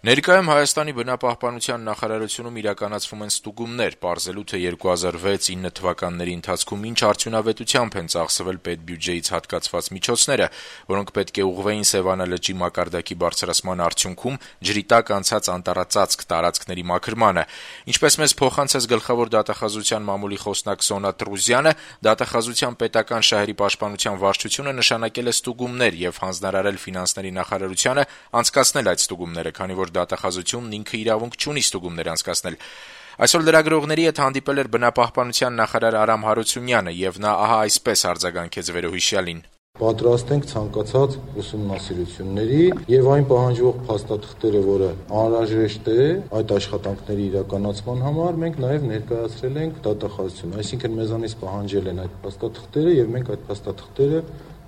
Ներկայում Հայաստանի բնապահպանության նախարարությունում իրականացվում են ստուգումներ, պարզելու թե 2006-9 թվականների ընթացքում ինչ արդյունավետությամբ են ծախսվել պետբյուջեից հատկացված միջոցները, որոնք պետք է ուղղվեին Սեւանա լճի մակարդակի բարձրացման արդյունքում ջրի տակ անցած անտառածածկ տարածքների մաքրմանը։ Ինչպես մեզ փոխանցեց գլխավոր դատախազության մամուլի խոսնակ Սոնա Տրուզյանը, դատախազության պետական շահերի պաշտպանության վարչությունը նշանակել է ստուգումներ եւ հանձնարարել ֆինանսների նախարարությանը անցկացնել այդ ստուգումները, քանի որ դատախազությունն ինքը իրավունք չունի ստուգումներ անցկացնել։ Այսօր լրագրողների հետ հանդիպել էր բնապահպանության նախարար Արամ Հարությունյանը եւ նա ահա այսպես արձագանքեց վերոհիշյալին. Պատրաստ ենք ցանկացած ուսումնասիրությունների եւ այն պահանջվող փաստաթղթերը, որը անհրաժեշտ է այդ աշխատանքների իրականացման համար, մենք նաեւ ներկայացրել ենք դատախազություն։ Այսինքն մեզանից պահանջել են այդ փաստաթղթերը եւ մենք այդ փաստաթղթերը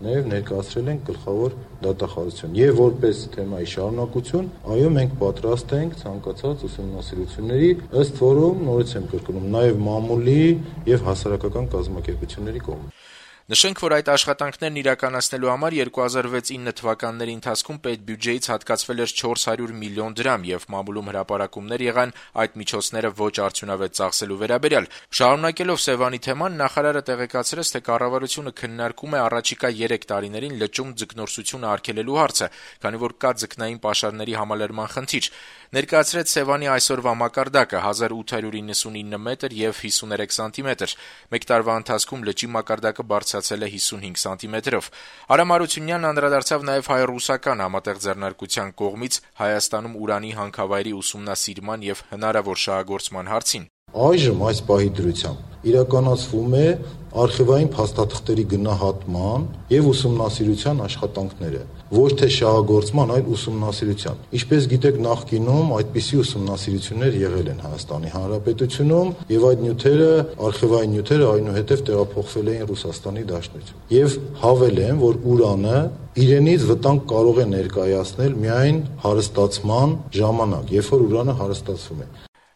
նաև ներկայացրել ենք գլխավոր դատախազություն։ Եվ որպես թեմայի շարունակություն, այո, մենք պատրաստ ենք ցանկացած ուսումնասիրությունների, ըստ որում նորից եմ կրկնում, նաև մամուլի եւ հասարակական կազմակերպությունների կողմից։ Նշենք, որ այդ աշխատանքներն իրականացնելու համար 2006-9 թվականների ընթացքում պետբյուջեից հատկացվել էր 400 միլիոն դրամ եւ մամուլում հրապարակումներ եղան այդ միջոցները ոչ արդյունավետ ծախսելու վերաբերյալ։ Շարունակելով Սեւանի թեման, նախարարը տեղեկացրեց, թե կառավարությունը քննարկում է առաջիկա 3 տարիներին լճում ձկնորսությունը արգելելու հարցը, քանի որ կա ձկնային պաշարների համալրման խնդիր։ Ներկայացրեց Սեւանի այսօրվա մակարդակը 1899 մետր եւ 53 սանտիմետր։ Մեկ տարվա ընթացքում լճի մակարդակը բարձրացել է 55 սանտիմետրով։ Արամ Հարությունյանն անդրադարձավ նաեւ հայ-ռուսական համատեղ ձեռնարկության կողմից Հայաստանում ուրանի հանքավայրի ուսումնասիրման եւ հնարավոր շահագործման հարցին։ Այժմ այս պահի դրությամբ իրականացվում է արխիվային փաստաթղթերի գնահատման եւ ուսումնասիրության աշխատանքները, ոչ թե շահագործման, այլ ուսումնասիրության։ Ինչպես գիտեք, նախկինում այդպիսի ուսումնասիրություններ եղել են Հայաստանի Հանրապետությունում եւ այդ նյութերը, արխիվային նյութերը այնուհետեւ տեղափոխվել էին Ռուսաստանի Դաշնություն։ Եվ հավելեմ, որ ուրանը իրենից վտանգ կարող է ներկայացնել միայն հարստացման ժամանակ, երբ որ ուրանը հարստացվում է։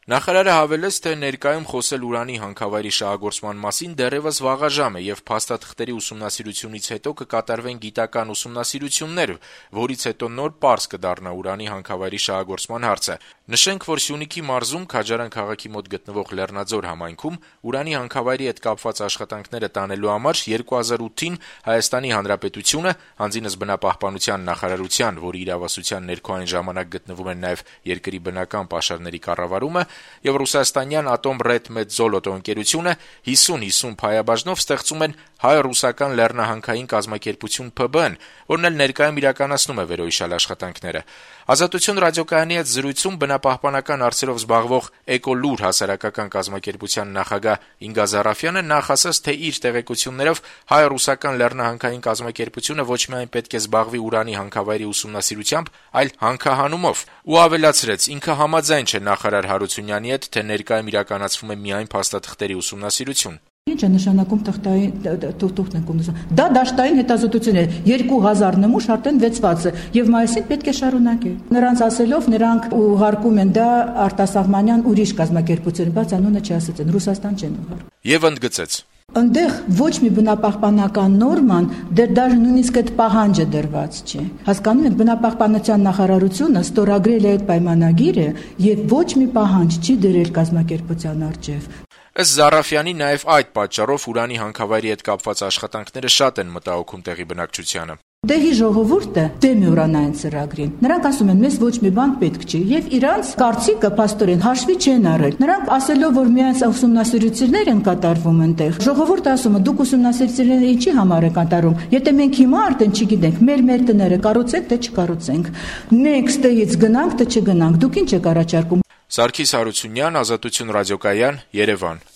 Նախարարը հավելեց, թե ներկայում խոսել ուրանի հանքավայրի շահագործման մասին դեռևս վաղաժամ է եւ փաստաթղթերի ուսումնասիրությունից հետո կկատարվեն գիտական ուսումնասիրություններ, որից հետո նոր պարզ կդառնա ուրանի հանքավայրի շահագործման հարցը։ Նշենք, որ Սյունիքի մարզում Քաջարան քաղաքի մոտ գտնվող Լեռնաձոր համայնքում ուրանի հանքավայրի հետ կապված աշխատանքները տանելու համար 2008-ին Հայաստանի Հանրապետությունը, հանձինս բնապահպանության նախարարության, որի իրավասության ներքո այն ժամանակ գտնվում են նաեւ երկրի բնական պաշարների կառավարումը, եւ ռուսաստանյան Ատոմ Ռեդ Մեդզոլոտո ընկերությունը 50-50 փայաբաժնով ստեղծում են հայ-ռուսական լեռնահանքային կազմակերպություն ՓԲ-ն, որն էլ ներկայում իրականացնում է վերոհիշյալ աշխատանքները։ Ազատություն ռադիոկայանի հետ զրույցում բնապահպանական հարցերով զբաղվող Էկոլուր հասարակական կազմակերպության նախագահ Ինգա Զարաֆյանը նախ ասաց, թե իր տեղեկություններով հայ-ռուսական լեռնահանքային կազմակերպությունը ոչ միայն պետք է զբաղվի ուրանի հանքավայրի ուսումնասիրությամբ, այլ հանքահանումով, ու ավելացրեց, ինքը համաձայն չէ նախարար Հարությունյանի հետ, թե ներկայում իրականացվում է միայն փաստաթղթերի ուսումնասիրություն։ Ինչ է նշանակում թղթային ուսումնասիրություն։ Դա դաշտային հետազոտություն է, 2000 նմուշ արդեն վեցված է եւ մայիսին պետք է շարունակել։ Նրանց ասելով նրանք ուղարկում են դա արտասահմանյան ուրիշ կազմակերպություն, բայց անունը չասեցին, Ռուսաստան չեն ուղարկում։ Եվ ընդգծեց. Այնտեղ ոչ մի բնապահպանական նորման դեռ նույնիսկ այդ պահանջը դրված չէ։ Հասկանում եք, բնապահպանության նախարարությունը ստորագրել է այդ պայմանագիրը եւ ոչ մի պահանջ չի դրել կազմակերպության առջեւ։ Ըստ Զարաֆյանի, նաեւ այդ պատճառով ուրանի հանքավայրի հետ կապված աշխատանքները շատ են մտահոգում տեղի բնակչությանը։ Դեհի ժողովուրդը դեմ է ուրանային ծրագրին։ Նրանք ասում են, մեզ ոչ մի բան պետք չի, եւ իրանց կարծիքը փաստորեն հաշվի չեն առել։ Նրանք ասելով, որ միայն ուսումնասիրություններ են կատարվում այնտեղ, ժողովուրդը ասում է, դուք ուսումնասիրությունները ինչի համար եք կատարում։ Եթե մենք հիմա արդեն չգիտենք, մեր տները կառուցենք, թե չկառուցենք։ Next-ից գնանք, թե չգնանք։ Դուք ինչ եք առաջարկում։ Սարգիս Հարությունյան, Ազատություն ռադիոկայան, Երևան։